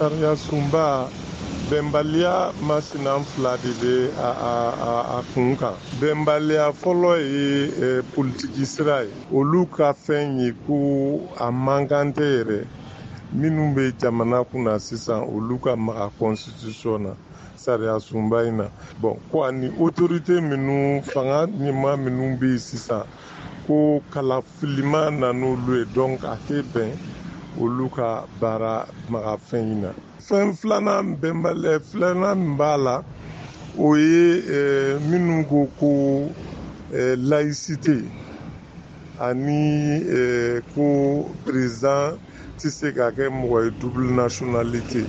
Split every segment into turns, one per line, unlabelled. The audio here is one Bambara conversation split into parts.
Sariya sunba, bɛnbaliya masina fila de bɛ a kun kan. Bɛnbaliya fɔlɔ ye politiki sira ye. Olu ka fɛn ye ko a man kan tɛ yɛrɛ, minnu bɛ jamana kunna sisan, olu ka maga constitution na, sariya sunba in na. Bon, ko ani autorité minnu, fanga ɲɛmaa minnu bɛ yen sisan, ko kalafilima na n'olu ye, donc a tɛ bɛn olu ka baara maga fɛn in na. Fɛn filanan, bɛnbaliya filanan min b'a la, o ye minnu ko ko laïcité ani ko président tɛ se ka kɛ mɔgɔ ye double nationalité.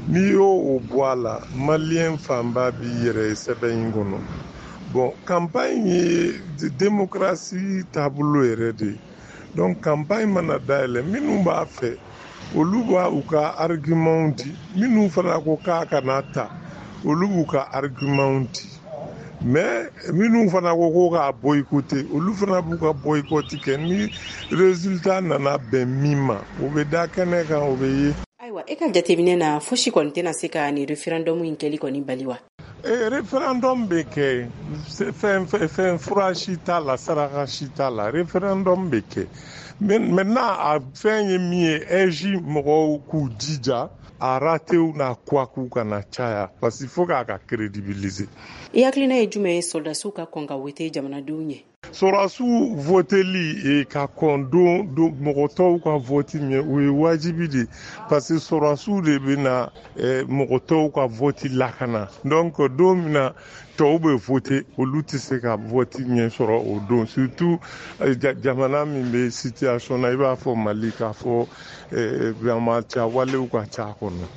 N'i y'o o bɔ a la, maliyɛn fanba b'i yɛrɛ ye sɛbɛn in kɔnɔ. Bon, campagne ye démocratie taabolo yɛrɛ de ye. Donc campagne mana dayɛlɛ, minnu b'a fɛ, olu b'a u ka argument di. Minnu fana ko k'a kana ta, olu b'u ka argument di. Mais minnu fana ko ko k'a boycotter, olu fana b'u ka boycott kɛ. Ni résultat nana bɛn min ma, o bɛ da kɛnɛ kan, o bɛ ye.
Ayiwa, e ka jateminɛ na, fosi kɔni tɛna se ka nin référendum in kɛli kɔni bali wa?
Référendum bɛ kɛ. Fɛn fɛn, fura si t'a la, saraka si t'a la, référendum bɛ kɛ. Maintenant, a fɛn ye min ye, AIGE mɔgɔw k'u jija, a ratew n'a couac kana caya, parce que faut k'a ka crédibiliser.
I hakilina ye jumɛn ye sɔrɔdasiw ka kɔn ka wote jamanadenw ɲɛ?
Sɔrɔdasiw voteli ka kɔn don mɔgɔ tɔw ka vote ɲɛ, o ye wajibi de, parce que sɔrɔdasiw de bɛ na mɔgɔ tɔw ka vote lakana. Donc don min na tɔw bɛ vote, olu tɛ se ka vote ɲɛ sɔrɔ o don, surtout jamana min bɛ situation na i b'a fɔ Mali, k'a fɔ banbaanciya walew ka ca a kɔnɔ.